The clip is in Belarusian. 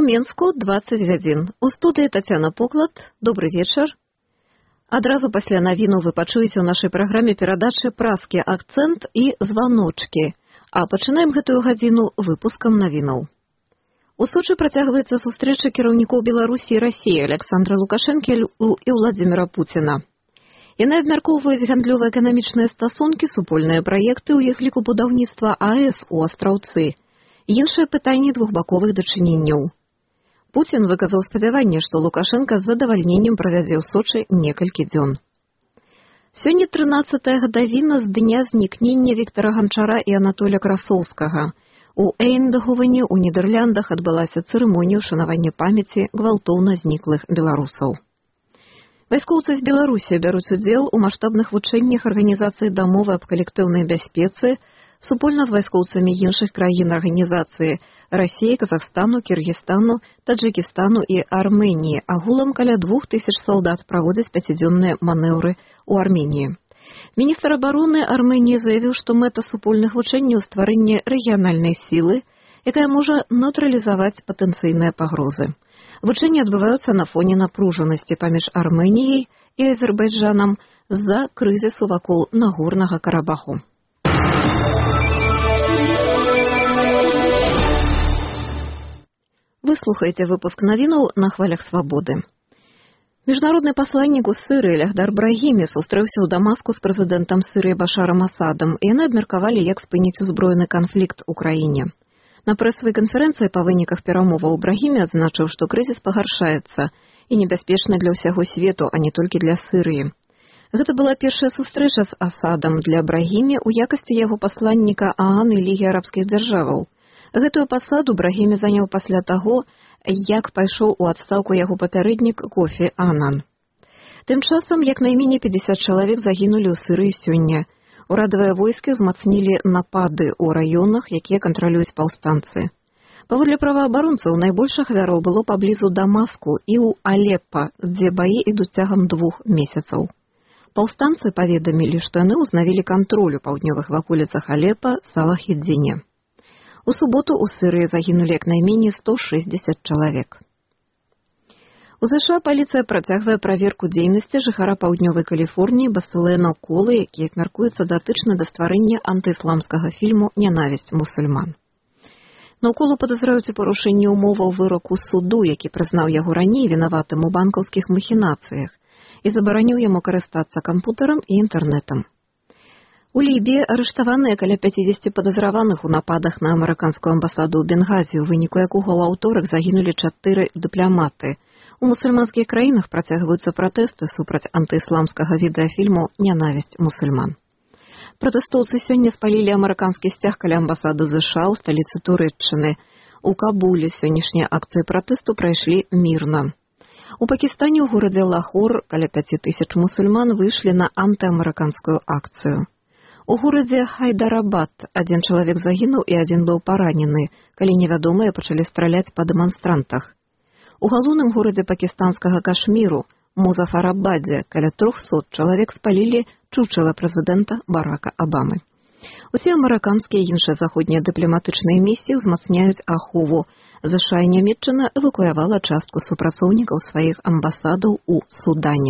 Менску 20 гадзін. У студыі Тацяна Поклад. Добры вечар. Адразу пасля навіну вы пачуеце ў нашай праграме перадачы «Праскі акцэнт» і «Званочкі». А пачынаем гэтую гадзіну выпускам навінаў. У Сочы працягваецца сустрэча кіраўнікоў Беларусі і Расіі Александра Лукашэнкі і Владзіміра Пуціна. Яны абмяркоўваюць гандлёва-эканамічныя стасункі, супольныя праекты, у іх ліку будаўніцтва АЭС у Астраўцы, іншыя пытанні двухбаковых дачыненняў. Пуцін выказаў спадзяванне, што Лукашенка з задавальненнем правядзе ў Сочы некалькі дзён. Сёння 13-я гадавіна з дня знікнення Віктара Ганчара і Анатоля Красоўскага. У Эйндагувені ў Нідэрляндах адбылася цырымонія ўшанавання памяці гвалтоўна зніклых беларусаў. Вайскоўцы з Беларусі бяруць удзел у маштабных вучэннях Арганізацыі дамовы аб калектыўнай бяспецы супольна з вайскоўцамі іншых краін арганізацыі Расіі, Казахстану, Кіргізстану, Таджыкістану і Арменіі. Агулам каля 2000 салдат праводзяць 5-дзённыя манеўры ў Арменіі. Міністр абароны Арменіі заявіў, што мэта супольных вучэнняў стварэнне рэгіянальнай сілы, якая можа нейтралізаваць патэнцыйныя пагрозы. Вучэнні адбываюцца на фоне напружанасці паміж Арменіяй і Азербайджанам з-за крызісу вакол Нагорнага Карабаху. Вы слухаеце выпуск навінаў на хвалях свабоды. Міжнародны пасланнік у Сырыі Лехдар Брахімі сустрэўся ў Дамаску з прэзідэнтам Сырыі Башарам Асадам, і яны абмеркавалі, як спыніць узброены канфлікт у краіне. На прэсавай канферэнцыі па выніках перамоваў Брахімі адзначыў, што крызіс пагаршаецца і небяспечны для ўсяго свету, а не толькі для Сырыі. Гэта была першая сустрэча з Асадам для Брахімі ў якасці яго пасланніка ААН і Лігі арабскіх дзяржаваў. Гэтую пасаду Брахімі заняў пасля таго, як пайшоў у адстаўку яго папярэднік Кофі Анан. Тым часам, як найменей 50 чалавек загінулі ў Сырыі сёння. Урадавыя войскі ўзмацнілі напады ў раёнах, якія кантралююць паўстанцы. Паводле праваабаронцаў, найбольш ахвяраў было паблізу Дамаску і ў Алеппа, дзе баі ідуць цягам 2 месяцаў. Паўстанцы паведамілі, што яны ўзнавілі кантроль у паўднёвых ваколіцах Алеппа, Салах-ід-Дзіне. У суботу ў Сырыі загінулі як найменей 160 чалавек. У США паліцыя працягвае праверку дзейнасці жыхара паўднёвай Каліфорніі Басылэна Колы, які мяркуецца датычна да стварэння антыісламскага фільму «Нянавісць мусульман». Колу падазраюць у парушэнні ўмоваў выроку суду, які прызнаў яго раней вінаватым у банкаўскіх махінацыях і забараніў яму карыстацца кампутарам і інтэрнэтам. У Лібіі арыштаваныя каля 50 падазраваных у нападах на амерыканскую амбасаду ў Бенгазі, у выніку якога ў аўторак загінулі 4 дыпламаты. У мусульманскіх краінах працягваюцца пратэсты супраць антыісламскага відэафільму «Нянавісць мусульман». Пратэстоўцы сёння спалілі амерыканскі сцяг каля амбасады США ў сталіцы Турэччыны. У Кабуле сённяшнія акцыі пратэсту прайшлі мірна. У Пакістане ў горадзе Лахор каля 5000 мусульман выйшлі на антыамерыканскую акцыю. У горадзе Хайдарабад 1 чалавек загінуў і 1 быў паранены, калі невядомыя пачалі страляць па дэманстрантах. У галоўным горадзе пакістанскага Кашміру, Музафарабадзе, каля 300 чалавек спалілі чучела прэзідэнта Барака Абамы. Усе амерыканскія і іншыя заходнія дыпламатычныя місіі ўзмацняюць ахову. ЗША і Нямецчына эвакуявала частку супрацоўнікаў сваіх амбасадаў у Судане.